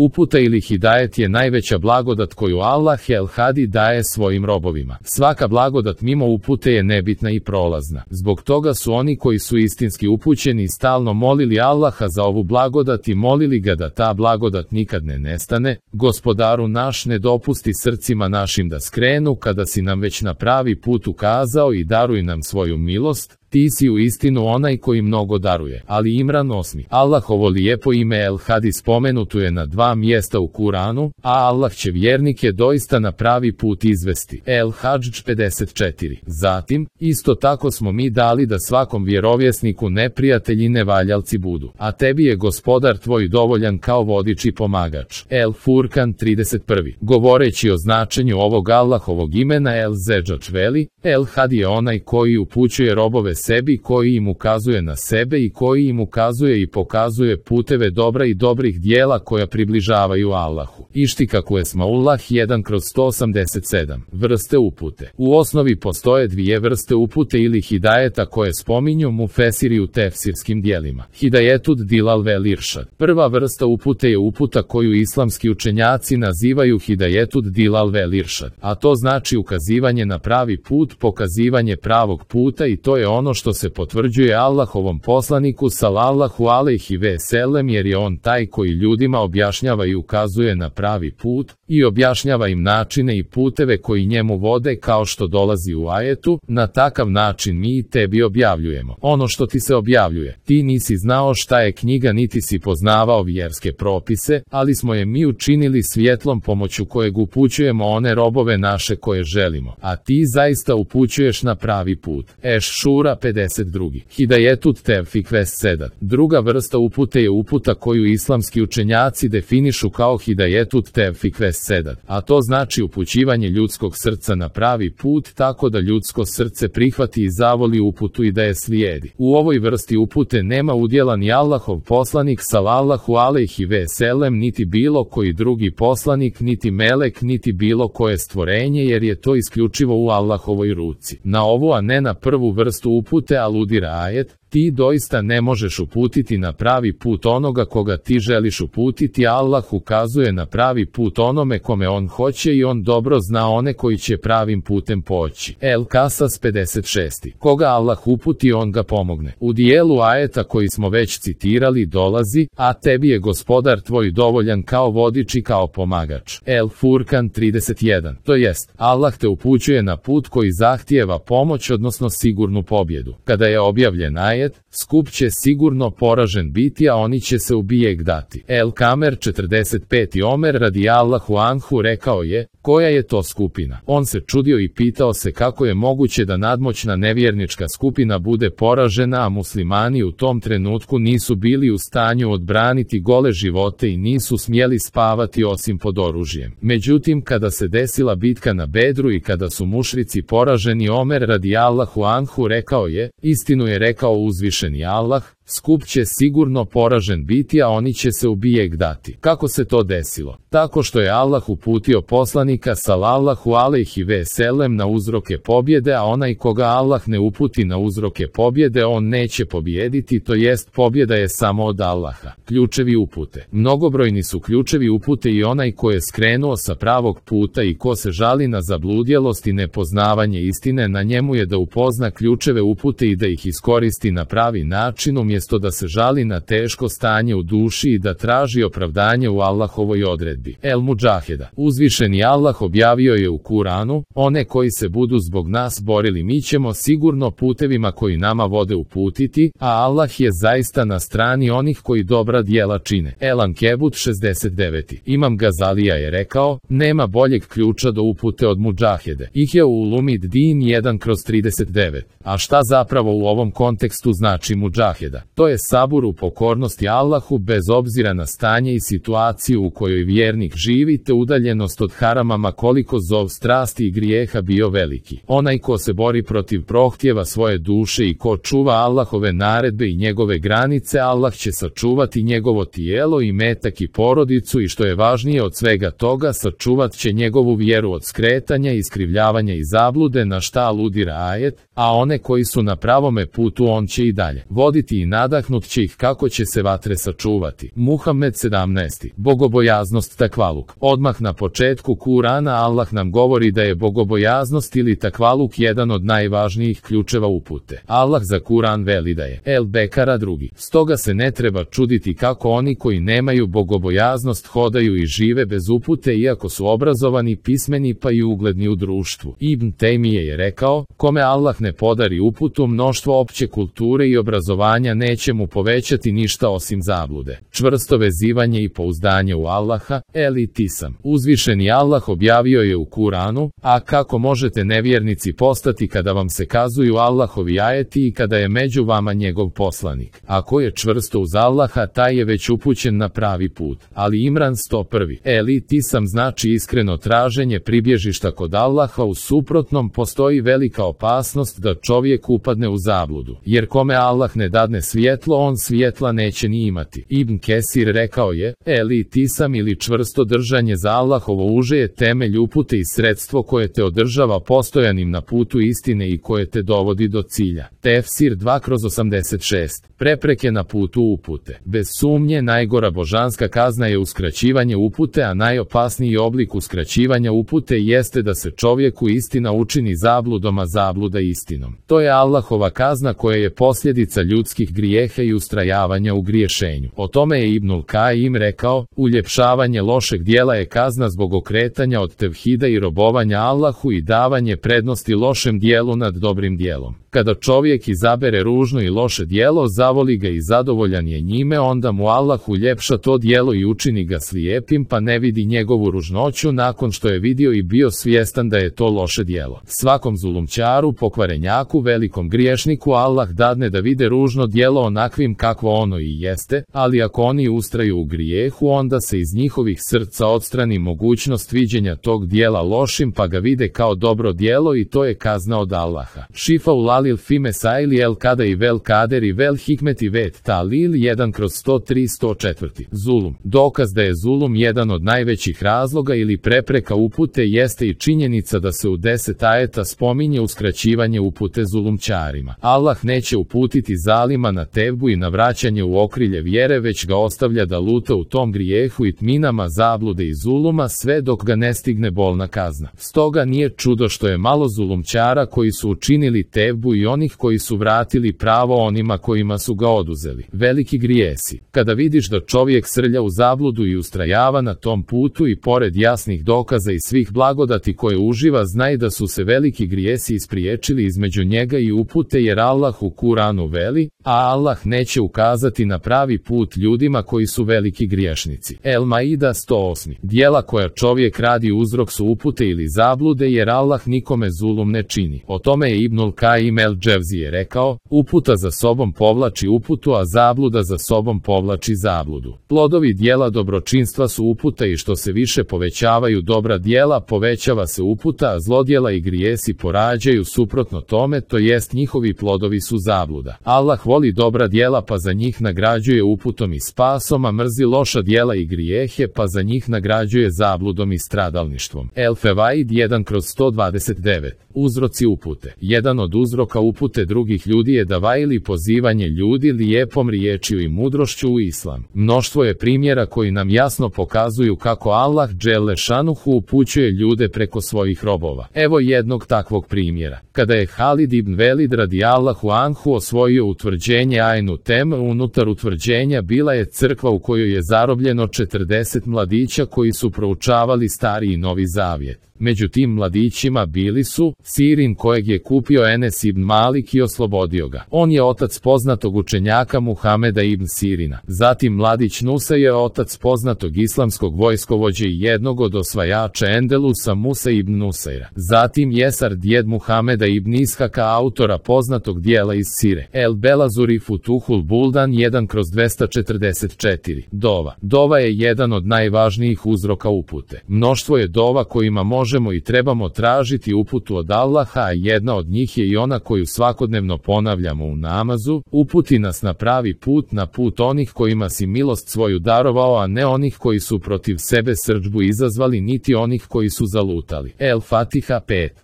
Uputa ili hidajet je najveća blagodat koju Allah el-Hadi daje svojim robovima. Svaka blagodat mimo upute je nebitna i prolazna. Zbog toga su oni koji su istinski upućeni stalno molili Allaha za ovu blagodat i molili ga da ta blagodat nikad ne nestane. Gospodaru naš, ne dopusti srcima našim da skrenu kada si nam već na pravi put ukazao i daruj nam svoju milost. Ti si u istinu onaj koji mnogo daruje. Ali Imran 8. Allahovo lijepo ime el-Hadi spomenuto je na 2 mjesta u Kuranu, a Allah će vjernike doista na pravi put izvesti. El-Hadž 54. Zatim, isto tako smo mi dali da svakom vjerovjesniku neprijatelji nevaljalci budu. A tebi je gospodar tvoj dovoljan kao vodič i pomagač. El-Furkan 31. Govoreći o značenju ovog Allahovog imena el-Zeđač veli, el-Hadi je onaj koji upućuje robove sebi, koji im ukazuje na sebe i koji im ukazuje i pokazuje puteve dobra i dobrih dijela koja približavaju Allahu. Ištikak Esmaullah 1/187. Vrste upute. U osnovi postoje 2 vrste upute ili hidajeta koje spominju mufesiri u tefsirskim dijelima. Hidajetud dilal vel iršad. Prva vrsta upute je uputa koju islamski učenjaci nazivaju hidajetud dilal vel iršad, a to znači ukazivanje na pravi put, pokazivanje pravog puta, i to je ono što se potvrđuje Allahovom poslaniku sallallahu alejhi ve sellem, jer je on taj koji ljudima objašnjava i ukazuje na pravi put i objašnjava im načine i puteve koji njemu vode, kao što dolazi u ajetu. Na takav način mi i tebi objavljujemo ono što ti se objavljuje. Ti nisi znao šta je knjiga niti si poznavao vjerske propise, ali smo je mi učinili svjetlom pomoću kojeg upućujemo one robove naše koje želimo, a ti zaista upućuješ na pravi put. Eš-Šura 52. Hidajetut tevfik ves sedat. Druga vrsta upute je uputa koju islamski učenjaci definišu kao hidajetut tevfik ves sedat, a to znači upućivanje ljudskog srca na pravi put tako da ljudsko srce prihvati i zavoli uputu i da je slijedi. U ovoj vrsti upute nema udjela ni Allahov poslanik sallallahu alejhi ve sellem, niti bilo koji drugi poslanik, niti melek, niti bilo koje stvorenje, jer je to isključivo u Allahovoj ruci. Na ovu, a ne na prvu vrstu upute aludira ajet: ti doista ne možeš uputiti na pravi put onoga koga ti želiš uputiti. Allah ukazuje na pravi put onome kome on hoće i on dobro zna one koji će pravim putem poći. El-Kasas 56. Koga Allah uputi, on ga pomogne. U dijelu ajeta koji smo već citirali dolazi: a tebi je gospodar tvoj dovoljan kao vodič i kao pomagač. El-Furkan 31. To jest, Allah te upućuje na put koji zahtijeva pomoć, odnosno sigurnu pobjedu. Kada je objavljen ajet, skup će sigurno poražen biti, a oni će se u bijeg dati. El-Kamer 45. Omer radijallahu anhu rekao je: koja je to skupina? On se čudio i pitao se kako je moguće da nadmoćna nevjernička skupina bude poražena, a muslimani u tom trenutku nisu bili u stanju odbraniti gole živote i nisu smjeli spavati osim pod oružjem. Međutim, kada se desila bitka na Bedru i kada su mušrici poraženi, Omer radijallahu anhu rekao je: istinu je rekao uzvišeni Allah, skup će sigurno poražen biti, a oni će se u bijeg dati. Kako se to desilo? Tako što je Allah uputio poslanika sallallahu alejhi ve sellem na uzroke pobjede, a onaj koga Allah ne uputi na uzroke pobjede, on neće pobijediti, to jest pobjeda je samo od Allaha. Ključevi upute. Mnogobrojni su ključevi upute i onaj ko je skrenuo sa pravog puta i ko se žali na zabludjelost i nepoznavanje istine, na njemu je da upozna ključeve upute i da ih iskoristi na pravi način, umjesto da se žali na teško stanje u duši i da traži opravdanje u Allahovoj odredbi. El-Mudžaheda. Uzvišeni Allah objavio je u Kuranu: one koji se budu zbog nas borili mi ćemo sigurno putevima koji nama vode uputiti, a Allah je zaista na strani onih koji dobra djela čine. El-Ankebut 69. Imam Gazalija je rekao: nema boljeg ključa do upute od Mudžahede. Ihya ulumid din 1/39. A šta zapravo u ovom kontekstu znači Mudžaheda? To je sabur u pokornosti Allahu bez obzira na stanje i situaciju u kojoj vjernik živi, te udaljenost od harama koliko zov strasti i grijeha bio veliki. Onaj ko se bori protiv prohtjeva svoje duše i ko čuva Allahove naredbe i njegove granice, Allah će sačuvati njegovo tijelo i metak i porodicu, i što je važnije od svega toga, sačuvat će njegovu vjeru od skretanja, iskrivljavanja i zablude, na šta aludira ajet: a one koji su na pravome putu on će i dalje voditi i nadahnut će ih kako će se vatre sačuvati. Muhammed 17. Bogobojaznost takvaluk. Odmah na početku Kurana Allah nam govori da je bogobojaznost ili takvaluk jedan od najvažnijih ključeva upute. Allah za Kuran veli da je El Bekara 2. Stoga se ne treba čuditi kako oni koji nemaju bogobojaznost hodaju i žive bez upute iako su obrazovani, pismeni pa i ugledni u društvu. Ibn Tejmije je rekao, kome Allah ne podari uputu, mnoštvo opće kulture i obrazovanja neće mu povećati ništa osim zablude. Čvrsto vezivanje i pouzdanje u Allaha, elitisam. Uzvišeni Allah objavio je u Kuranu, a kako možete nevjernici postati kada vam se kazuju Allahovi ajeti i kada je među vama njegov poslanik. Ako je čvrsto uz Allaha, taj je već upućen na pravi put. Ali Imran 101. Elitisam znači iskreno traženje pribježišta kod Allaha, u suprotnom postoji velika opasnost da čovjek upadne u zabludu. Jer kome Allah ne dadne svjetlo, on svjetla neće ni imati. Ibn Kesir rekao je, elitisam ili čvrsto držanje za Allahovo uže je temelj upute i sredstvo koje te održava postojanim na putu istine i koje te dovodi do cilja. Tefsir 2/86. Prepreke na putu upute. Bez sumnje najgora božanska kazna je uskraćivanje upute, a najopasniji oblik uskraćivanja upute jeste da se čovjeku istina učini zabludom, a zabluda istinom. To je Allahova kazna koja je posljedica ljudskih grijeha i ustrajavanja u griješenju. O tome je Ibnul Kajim rekao, uljepšavanje lošeg dijela je kazna zbog okretanja od tevhida i robovanja Allahu i davanje prednosti lošem dijelu nad dobrim dijelom. Kada čovjek izabere ružno i loše dijelo, zavoli ga i zadovoljan je njime, onda mu Allah uljepša to dijelo i učini ga slijepim pa ne vidi njegovu ružnoću nakon što je vidio i bio svjestan da je to loše dijelo. Svakom zulumčaru, pokvarenjaku, velikom griješniku Allah dadne da vide ružno dijelo onakvim kakvo ono i jeste, ali ako oni ustraju u grijehu, onda se iz njihovih srca odstrani mogućnost viđenja tog dijela lošim pa ga vide kao dobro dijelo i to je kazna od Allaha. Šifa Lil Fime Saili El Kada i Vel Kader i Vel Hikmet i Vet Talil 1/103-104. Zulum. Dokaz da je zulum jedan od najvećih razloga ili prepreka upute jeste i činjenica da se u 10 ajeta spominje uskraćivanje upute zulumčarima. Allah neće uputiti zalima na tevbu i na vraćanje u okrilje vjere, već ga ostavlja da luta u tom grijehu i tminama zablude i zuluma sve dok ga ne stigne bolna kazna. Stoga nije čudo što je malo zulumčara koji su učinili tevbu i onih koji su vratili pravo onima kojima su ga oduzeli. Veliki grijesi. Kada vidiš da čovjek srlja u zabludu i ustrajava na tom putu i pored jasnih dokaza i svih blagodati koje uživa, znaj da su se veliki grijesi ispriječili između njega i upute, jer Allah u Kuranu veli, a Allah neće ukazati na pravi put ljudima koji su veliki griješnici. El Maida 108. Dijela koja čovjek radi uzrok su upute ili zablude, jer Allah nikome zulum ne čini. O tome je Ibnul Kajim El Dževzije rekao, uputa za sobom povlači uputu, a zabluda za sobom povlači zabludu. Plodovi dijela dobročinstva su uputa i što se više povećavaju dobra dijela, povećava se uputa, a zlodjela i grijesi porađaju suprotno tome, to jest njihovi plodovi su zabluda. Allah voli dobra dijela pa za njih nagrađuje uputom i spasom, a mrzi loša dijela i grijehe pa za njih nagrađuje zabludom i stradalništvom. El Fevaid 1/129. Uzroci upute. Jedan od uzroka upute drugih ljudi je dava ili pozivanje ljudi lijepom riječju i mudrošću u islam. Mnoštvo je primjera koji nam jasno pokazuju kako Allah dželle šanuhu upućuje ljude preko svojih robova. Evo jednog takvog primjera. Kada je Halid ibn Velid radijallahu anhu osvojio utvrđenje Ajnu Tem, unutar utvrđenja bila je crkva u kojoj je zarobljeno 40 mladića koji su proučavali Stari i Novi Zavjet. Među tim mladićima bili su Sirin kojeg je kupio Enes ibn Malik i oslobodio ga. On je otac poznatog učenjaka Muhameda ibn Sirina. Zatim mladić Nusa je otac poznatog islamskog vojskovođe i jednog od osvajača Endelusa Musa ibn Nusaira. Zatim Jesar djed Muhameda ibn Ishaka, autora poznatog dijela iz Sire. El Belazuri Futuhul Buldan 1/244. Dova. Dova je jedan od najvažnijih uzroka upute. Mnoštvo je dova kojima možemo i trebamo tražiti uputu od Allaha, a jedna od njih je i ona koja koju svakodnevno ponavljamo u namazu, uputi nas na pravi put, na put onih kojima si milost svoju darovao, a ne onih koji su protiv sebe srdžbu izazvali, niti onih koji su zalutali. El-Fatiha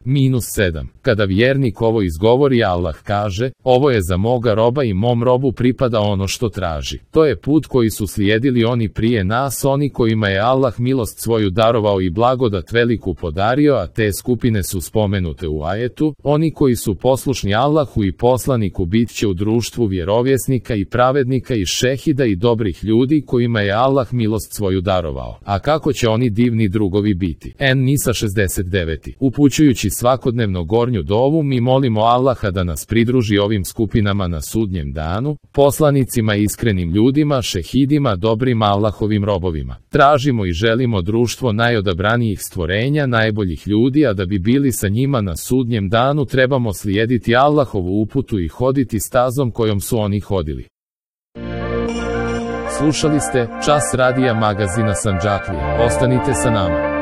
5-7. Kada vjernik ovo izgovori, Allah kaže: ovo je za moga roba i mom robu pripada ono što traži. To je put koji su slijedili oni prije nas, oni kojima je Allah milost svoju darovao i blagodat veliku podario, a te skupine su spomenute u ajetu. Oni koji su poslušni Allahu i poslaniku bit će u društvu vjerovjesnika i pravednika i šehida i dobrih ljudi kojima je Allah milost svoju darovao. A kako će oni divni drugovi biti? En-Nisa 69. Upućujući svakodnevno gornju dovu, mi molimo Allaha da nas pridruži ovim skupinama na sudnjem danu, poslanicima, iskrenim ljudima, šehidima, dobrim Allahovim robovima. Tražimo i želimo društvo najodabranijih stvorenja, najboljih ljudi, a da bi bili sa njima na sudnjem danu trebamo slijediti Allahovu uputu i hoditi stazom kojom su oni hodili. Slušali ste Čas radija magazina Sandžaklija. Ostanite sa nama.